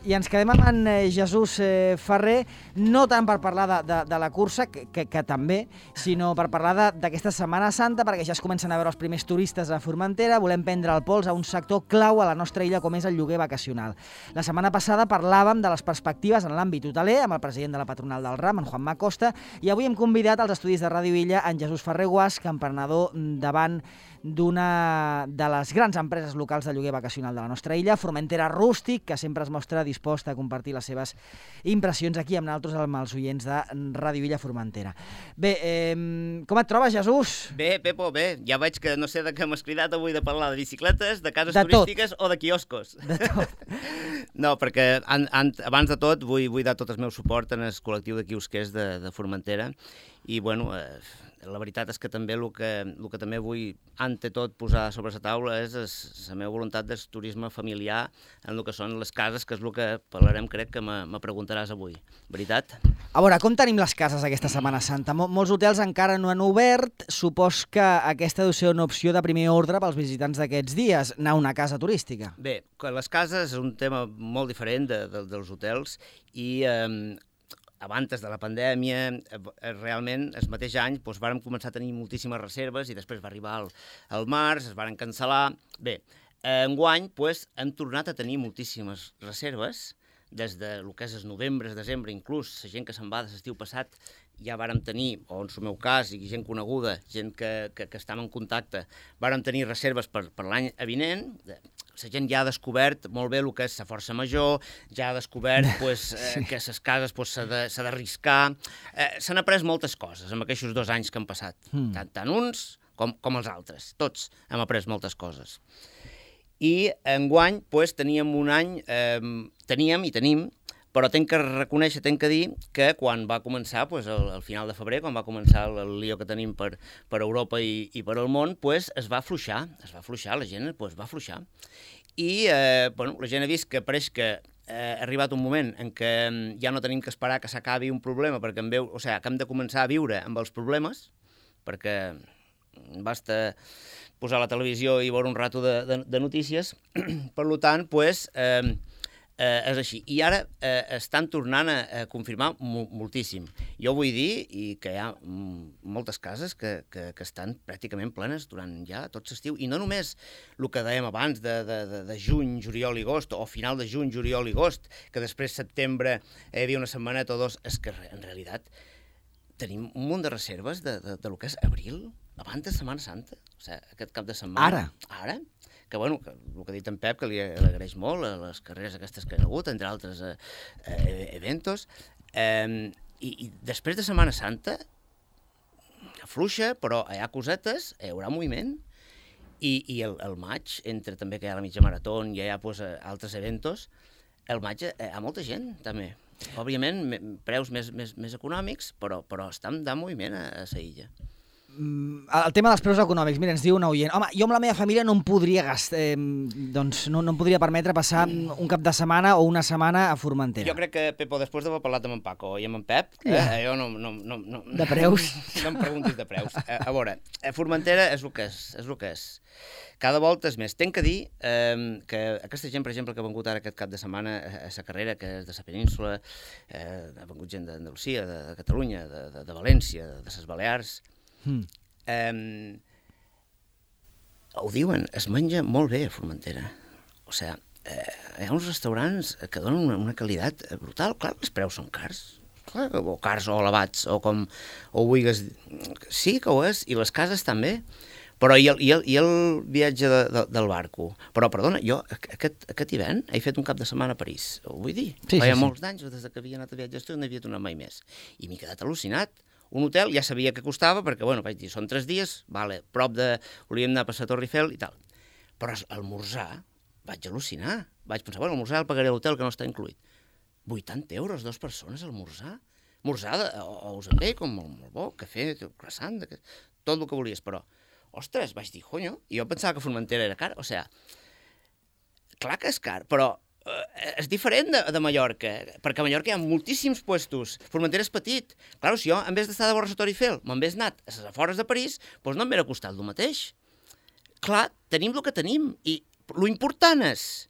I ens quedem amb en Jesús Ferrer, no tant per parlar de la cursa, que també, sinó per parlar d'aquesta Setmana Santa, perquè ja es comencen a veure els primers turistes a Formentera. Volem prendre el pols a un sector clau a la nostra illa, com és el lloguer vacacional. La setmana passada parlàvem de les perspectives en l'àmbit hoteler amb el president de la patronal del RAM, en Juanma Costa, i avui hem convidat als estudis de Ràdio Illa en Jesús Ferrer Guasch, emprenedor davant d'una de les grans empreses locals de lloguer vacacional de la nostra illa, Formentera Rústic, que sempre es mostra disposta a compartir les seves impressions aquí amb nosaltres, amb els oients de Ràdio Illa Formentera. Bé, com et trobes, Jesús? Bé, Pepo, bé. Ja veig que no sé de què m'has cridat avui, de parlar de bicicletes, de cases turístiques o de quioscos. De tot. No, perquè abans de tot vull dar tot el meu suport en el col·lectiu de quiosquers de Formentera i, bueno, la veritat és que també el que també vull, ante tot, posar sobre la taula és la meva voluntat del turisme familiar en el que són les cases, que és el que parlarem, crec que me preguntaràs avui. Veritat? A veure, com tenim les cases aquesta Setmana Santa? Molts hotels encara no han obert. Supos que aquesta deu ser una opció de primer ordre pels visitants d'aquests dies, anar a una casa turística. Bé, les cases és un tema molt diferent dels hotels i abans de la pandèmia, realment, el mateix any, vàrem començar a tenir moltíssimes reserves i després va arribar el març, es varen cancel·lar. Bé, enguany hem tornat a tenir moltíssimes reserves, des del que és el novembre, desembre, inclús la gent que se'n va de l'estiu passat, ja vàrem tenir, o en el meu cas, i gent coneguda, gent que estava en contacte, vàrem tenir reserves per l'any avinent. La gent ja ha descobert molt bé el que és la força major, ja ha descobert que les cases s'ha d'arriscar. S'han après moltes coses en aquests 2 anys que han passat, tant uns com els altres. Tots hem après moltes coses. I enguany teníem un any, teníem i tenim, però tenc que reconèixer, tenc que dir que quan va començar, al final de febrer, quan va començar el lío que tenim per Europa i per al món, es va afluixar, la gent va afluixar. I la gent ha vist que pareix que ha arribat un moment en què ja no tenim que esperar que s'acabi un problema, perquè que hem de començar a viure amb els problemes, perquè basta posar la televisió i veure un rato de notícies. Per tant, és així. I ara estan tornant a confirmar moltíssim. Jo vull dir que hi ha moltes cases que estan pràcticament plenes durant ja tot l'estiu. I no només el que dèiem abans de juny, juliol i agost, o final de juny, juliol i agost, que després setembre hi havia una setmaneta o 2, és que en realitat tenim un munt de reserves de lo que és abril, abans de Setmana Santa, o sigui, aquest cap de setmana. Ara? Que, el que ha dit en Pep, que li agraeix molt les carreres aquestes que han hagut, entre altres eventos, i després de Setmana Santa, fluixa, però hi ha cosetes, hi haurà moviment, i el maig, entre també que hi ha la mitja marató, i hi ha altres eventos, el maig hi ha molta gent, també. Òbviament, preus més econòmics, però estan de moviment a la illa. El tema dels preus econòmics, mira, ens diu un oient, home, jo amb la meva família no em podria gastar, doncs no em podria permetre passar un cap de setmana o una setmana a Formentera. Jo crec que, Pepo, després d'haver parlat amb en Paco i amb en Pep, jo no... De preus? No em preguntis de preus. A veure, Formentera és el que és. Cada volta és més. Tenc que dir que aquesta gent, per exemple, que ha vengut ara aquest cap de setmana a la carrera, que és de la península, ha vengut gent d'Andalusia, de Catalunya, de València, de les Balears, ho diuen, es menja molt bé a Formentera. O sigui, hi ha uns restaurants que donen una qualitat brutal. Clar, els preus són cars, o cars o elevats, o com ho vulguis. Sí que ho és, i les cases també. Però i el viatge del barco? Però, perdona, jo aquest hivern he fet un cap de setmana a París, ho vull dir. Feia molts d'anys, des que havia anat a viatges, no havia tornat mai més. I m'he quedat al·lucinat. Un hotel ja sabia que costava, perquè, vaig dir, són 3 dies, prop de... volíem anar a passar a Torre Eiffel i tal. Però esmorzar, vaig al·lucinar. Vaig pensar, l'esmorzar el pagaré a l'hotel, que no està incluït. 80 euros, 2 persones, esmorzar. Esmorzar, ous amb bacon, molt bo, cafè, croissant, tot el que volies, però... Ostres, vaig dir, conyo, i jo pensava que Formentera era car, o sigui, clar que és car, però és diferent de Mallorca, perquè a Mallorca hi ha moltíssims puestos, Formentera és petit. Clar, si jo, en vez d'estar de vora a Torre Eiffel, me'n hagués anat a les afores de París, doncs no m'hauria costat el mateix. Clar, tenim el que tenim, i l'important és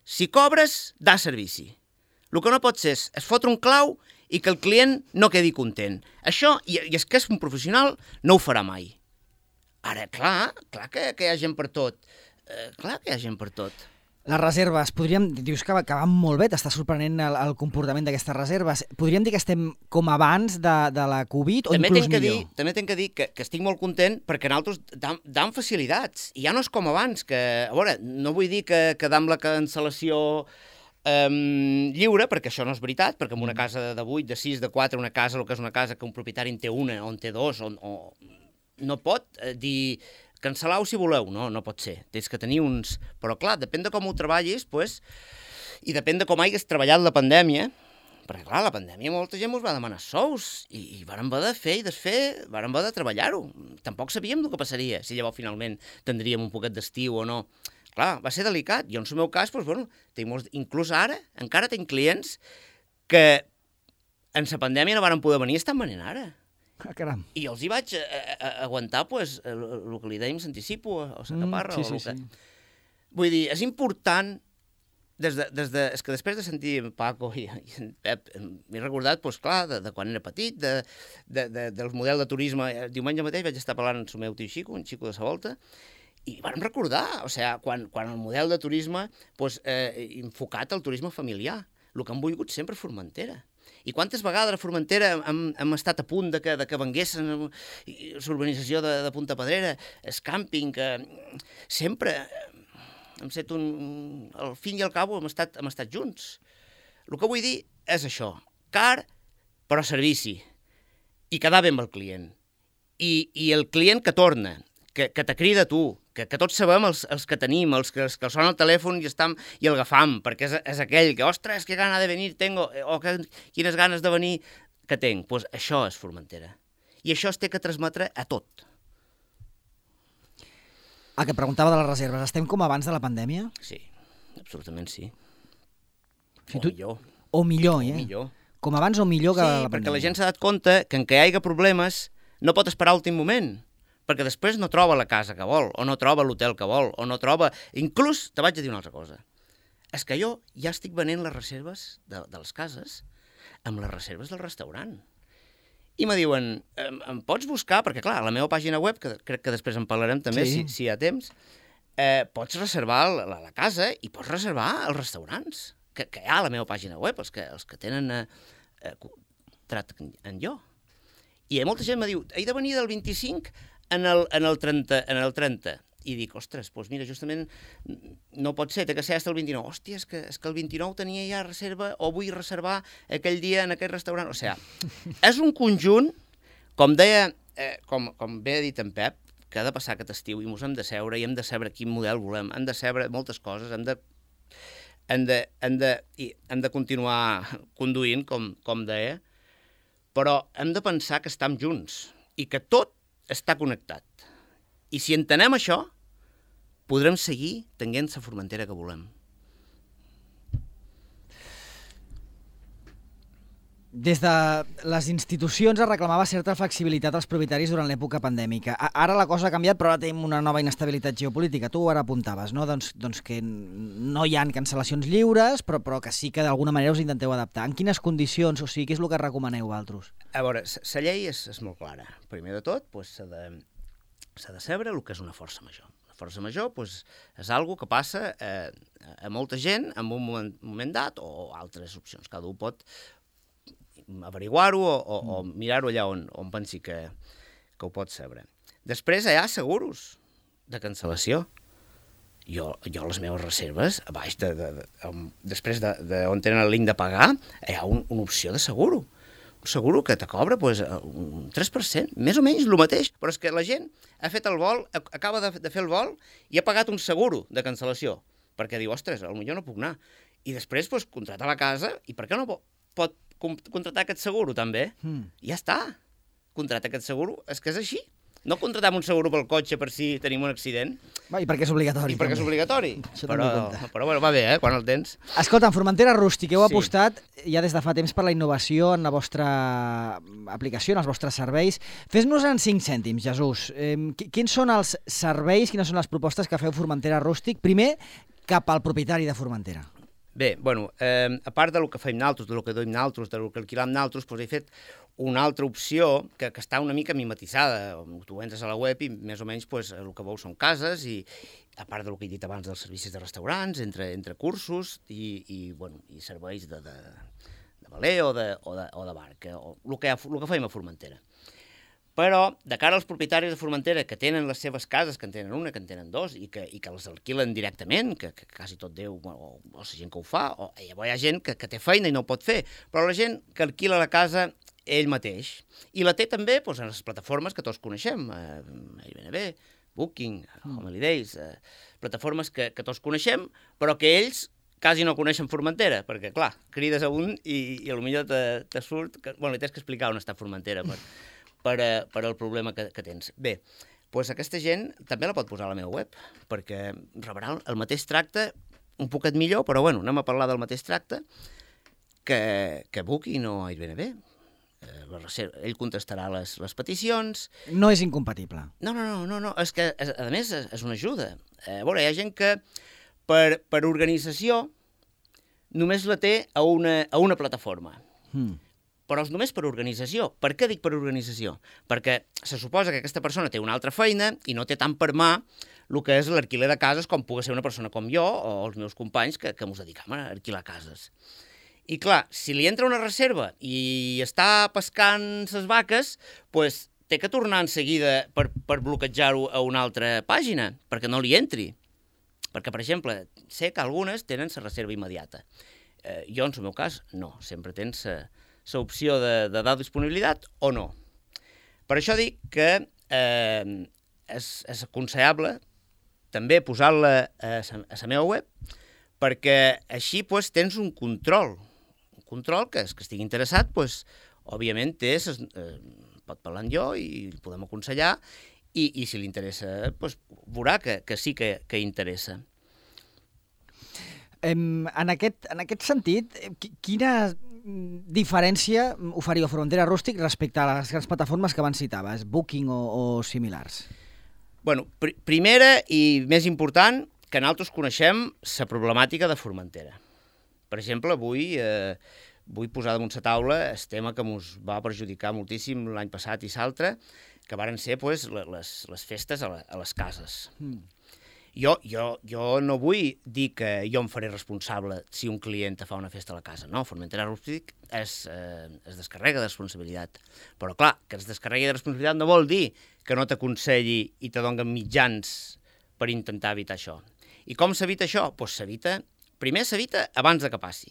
si cobres, da servici. El que no pot ser és fotre un clau i que el client no quedi content. Això, i és que és un professional, no ho farà mai. Ara, clar que hi ha gent per tot. Clar que hi ha gent per tot. Les reserves, dius que van molt bé, t'està sorprenent el comportament d'aquestes reserves. Podríem dir que estem com abans de la Covid o inclús millor? També tinc que dir que estic molt content perquè nosaltres dam facilitats. I ja no és com abans, que, a veure, no vull dir que dam la cancel·lació lliure, perquè això no és veritat, perquè en una casa de 8, de 6, de 4, una casa, el que és una casa que un propietari en té una o en té dos, no pot dir cancel·lau si voleu, no pot ser. Tens que tenir uns... Però clar, depèn de com ho treballis, i depèn de com hagués treballat la pandèmia, perquè clar, la pandèmia molta gent ens va demanar sous, i vàrem haver de fer i desfer, vàrem haver de treballar-ho. Tampoc sabíem el que passaria, si llavors finalment tindríem un poquet d'estiu o no. Clar, va ser delicat. Jo, en el meu cas, inclús ara, encara tinc clients que en la pandèmia no varen poder venir i estan venint ara. Caram. I els hi vaig aguantar el que li dèiem l'anticipo o la caparra. Sí. Vull dir, és important, és que després de sentir en Paco i en Pep, m'he recordat, clar, de quan era petit, del model de turisme. Diumenge mateix vaig estar parlant amb el meu tio Xico, un xico de sa volta, i vam recordar, quan el model de turisme enfocat al turisme familiar, el que han volgut sempre Formentera. I quantes vegades a Formentera hem estat a punt de que venguessin l'urbanització de Punta Pedrera, el càmping, que sempre hem set al fin i al cabo hem estat junts. El que vull dir és això, car però servici, i quedar bé amb el client. I el client que torna, que te crida a tu, que tots sabem els que tenim, els que sona el telèfon i el agafam, perquè és aquell que, ostres, que gana de venir tengo, o quines ganes de venir que tenc. Doncs això és Formentera. I això es té que transmetre a tot. El que preguntava de les reserves, estem com abans de la pandèmia? Sí, absolutament sí. Millor. O millor, eh? Millor. Com abans o millor que la pandèmia. Sí, perquè la gent s'ha dat compte que en què hi hagi problemes no pot esperar l'últim moment, perquè després no troba la casa que vol, o no troba l'hotel que vol, o no troba... Inclús, te vaig a dir una altra cosa, és que jo ja estic venent les reserves de les cases amb les reserves del restaurant. I me diuen, em pots buscar, perquè clar, a la meva pàgina web, que crec que després en parlarem també, si hi ha temps, pots reservar la casa i pots reservar els restaurants que hi ha a la meva pàgina web, els que tenen contracte en jo. I molta gent me diu, he de venir del 25 en el 30. I dic, ostres, doncs mira, justament no pot ser, té que ser fins al 29. Hòstia, és que el 29 tenia ja reserva o vull reservar aquell dia en aquest restaurant. O sigui, és un conjunt, com deia, com bé ha dit en Pep, que ha de passar aquest estiu i ens hem de seure i hem de saber quin model volem, hem de saber moltes coses, hem de continuar conduint, com deia, però hem de pensar que estem junts i que tot està connectat. I si entenem això, podrem seguir tenint la Formentera que volem. Des de les institucions es reclamava certa flexibilitat als propietaris durant l'època pandèmica. Ara la cosa ha canviat, però ara tenim una nova inestabilitat geopolítica. Tu ara apuntaves, no? Doncs que no hi ha cancel·lacions lliures, però que sí que d'alguna manera us intenteu adaptar. En quines condicions? O sigui, què és el que recomaneu vosaltres? A veure, la llei és molt clara. Primer de tot, s'ha de saber el que és una força major. La força major és algo que passa a molta gent en un moment dat o altres opcions. Cada un pot averiguar-ho o mirar-ho allà on pensi que ho pot saber. Després hi ha seguros de cancel·lació. Jo les meves reserves, a baix després on tenen el link de pagar, hi ha una opció de seguro. Un seguro que te cobra un 3%, més o menys el mateix, però és que la gent ha fet el vol, acaba de fer el vol i ha pagat un seguro de cancel·lació, perquè diu, ostres, potser no puc anar. I després contratar la casa, i per què no pot contratar aquest seguro també? Ja està, contratar aquest seguro, és que és així. No contratem un seguro pel cotxe per si tenim un accident. I perquè és obligatori. I perquè és obligatori. Però bueno, va bé, quan el tens. Escolta, en Formentera Rústic heu apostat ja des de fa temps per la innovació en la vostra aplicació, en els vostres serveis. Fes-nos en 5 cèntims, Jesús. Quins són els serveis, quines són les propostes que feu Formentera Rústic? Primer, cap al propietari de Formentera. Bé, bueno, a part del que fem naltros, del que duim naltros, del que alquilam naltros, doncs he fet una altra opció que està una mica mimetitzada. Tu entres a la web i més o menys el que veus són cases i a part del que he dit abans dels servicis de restaurants, entre cursos i serveis de valer o de bar, el que fem a Formentera. Però, de cara als propietaris de Formentera que tenen les seves cases, que en tenen una, que en tenen dos, i que les alquilen directament, que quasi tot Déu, o la gent que ho fa, o hi ha gent que té feina i no ho pot fer, però la gent que alquila la casa ell mateix, i la té també en les plataformes que tots coneixem, Airbnb, Booking, Home Holidays, plataformes que tots coneixem, però que ells quasi no coneixen Formentera, perquè, clar, crides a un i potser te surt... Bueno, li tens que explicar on està Formentera per al problema que tens. Bé, doncs aquesta gent també la pot posar a la meva web, perquè rebrà el mateix tracte, un poquet millor, però bueno, anem a parlar del mateix tracte que Booking o Airbnb. Ell contestarà les peticions. No és incompatible. No, és que, a més, és una ajuda. A veure, hi ha gent que per organització només la té a una plataforma. Però és només per organització. Per què dic per organització? Perquè se suposa que aquesta persona té una altra feina i no té tant per mà el que és l'alquiler de cases com pugui ser una persona com jo o els meus companys que ens dediquem a alquilar cases. I clar, si li entra una reserva i està pescant ses vaques, doncs té que tornar en seguida per bloquejar-ho a una altra pàgina, perquè no li entri. Perquè, per exemple, sé que algunes tenen la reserva immediata. Jo, en el meu cas, no. Sempre tens l'opció de dar disponibilitat o no. Per això dic que és aconsellable també posar-la a la meva web, perquè així tens un control que els que estigui interessat, òbviament pot parlar amb jo i el podem aconsellar i si li interessa veurà que sí que interessa. En aquest sentit, quina diferència oferia Formentera Rústic respecte a les grans plataformes que abans citaves, Booking o similars? Bueno, primera i més important, que nosaltres coneixem la problemàtica de Formentera. Per exemple, vull posar damunt la taula el tema que ens va perjudicar moltíssim l'any passat i l'altre, que varen ser les festes a les cases. Jo no vull dir que jo em faré responsable si un client fa una festa a la casa. No, Formentera Rústic es descarrega de responsabilitat. Però clar, que es descarregui de responsabilitat no vol dir que no t'aconselli i te donen mitjans per intentar evitar això. I com s'evita això? Doncs primer s'evita abans que passi.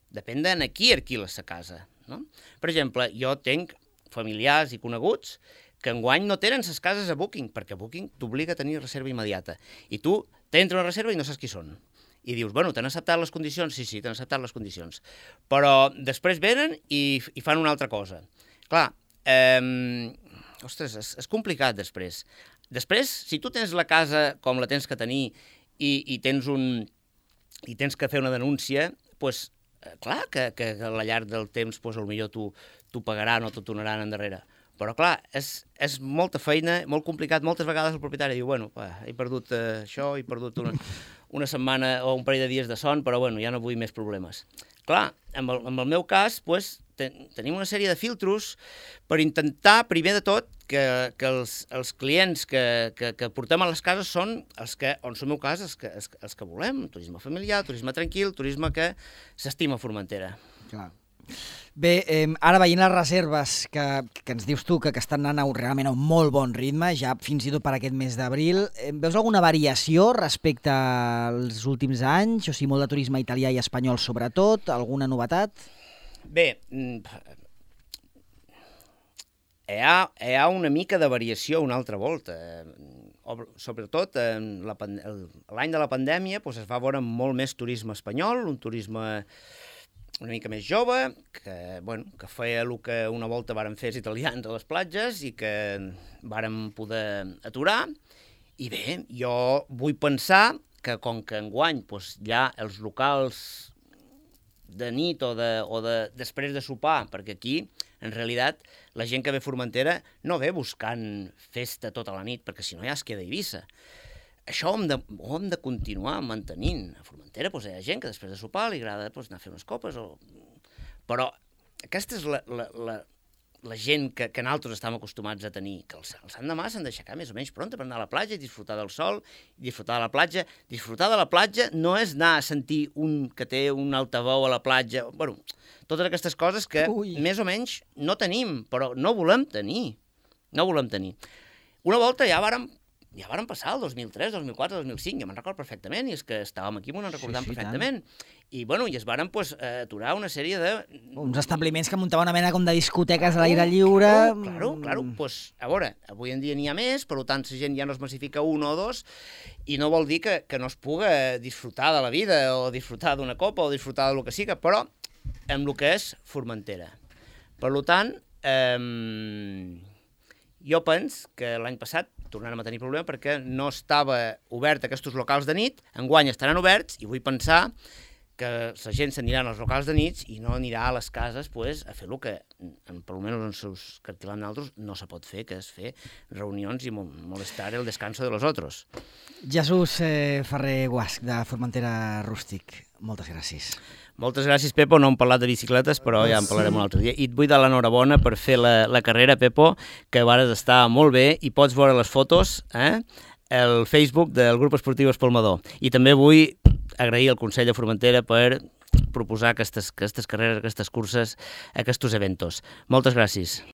Depèn de qui alquiles la casa. No? Per exemple, jo tenc familiars i coneguts que enguany no tenen les cases a Booking, perquè Booking t'obliga a tenir reserva immediata. I tu t'entra una reserva i no saps qui són. I dius, bueno, t'han acceptat les condicions? Sí, t'han acceptat les condicions. Però després venen i fan una altra cosa. Clar, ostres, és complicat després. Després, si tu tens la casa com la tens que tenir i tens que fer una denúncia, doncs, clar, que a la llarg del temps potser t'ho pagaran o t'ho tornaran endarrere. Però, clar, és molta feina, molt complicat. Moltes vegades el propietari diu, bueno, he perdut això, he perdut una setmana o un parell de dies de son, però, bueno, ja no vull més problemes. Clar, en el meu cas, tenim una sèrie de filtros per intentar, primer de tot, que els clients que portem a les cases són els que, en el meu cas, els que volem. Turisme familiar, turisme tranquil, turisme que s'estima Formentera. Clar. Bé, ara veient les reserves que ens dius tu que estan anant realment a un molt bon ritme, ja fins i tot per aquest mes d'abril, veus alguna variació respecte als últims anys? O sigui, molt de turisme italià i espanyol sobretot? Alguna novetat? Bé, hi ha una mica de variació una altra volta. Sobretot l'any de la pandèmia es va veure molt més turisme espanyol, un turisme una mica més jove, que feia el que una volta varen fer els italians a les platges i que varen poder aturar. I bé, jo vull pensar que com que enguany ja els locals de nit o després de sopar, perquè aquí, en realitat, la gent que ve a Formentera no ve buscant festa tota la nit, perquè si no ja es queda a Eivissa. això ho hem de continuar mantenint. A Formentera hi ha gent que després de sopar li agrada anar a fer unes copes, però aquesta és la gent que nosaltres estem acostumats a tenir, que el sant demà s'han d'aixecar més o menys pronta per anar a la platja i disfrutar del sol, disfrutar de la platja. Disfrutar de la platja no és anar a sentir un que té un altaveu a la platja, bueno, totes aquestes coses que més o menys no tenim, però no volem tenir. No volem tenir. Una volta ja vàrem passar el 2003, 2004, 2005, jo me'n recordo perfectament, i és que estàvem aquí, m'ho recordem perfectament. I, bueno, i es varen aturar una sèrie de... Uns establiments que muntaven una mena com de discoteques a l'aire lliure... Claro. Pues, a veure, avui en dia n'hi ha més, per tant, la gent ja no es massifica un o dos, i no vol dir que no es puga disfrutar de la vida, o disfrutar d'una copa, o disfrutar del que siga, però amb el que és Formentera. Per tant, jo penso que l'any passat tornarem a tenir problema perquè no estava obert aquests locals de nit, enguany estaran oberts, i vull pensar que la gent s'anirà als locals de nit i no anirà a les cases a fer el que, per almenys en seus cartilans d'altres, no se pot fer, que és fer reunions i molestar el descanso de los otros. Jesús Ferrer Guasch, de Formentera Rústic, moltes gràcies. Moltes gràcies, Pepo. No hem parlat de bicicletes, però ja en parlarem un altre dia. I et vull dar l'enhorabona per fer la carrera, Pepo, que vares estar molt bé i pots veure les fotos al Facebook del Grup Esportiu Espolmador. I també vull agrair al Consell de Formentera per proposar aquestes carreres, aquestes curses, aquests eventos. Moltes gràcies.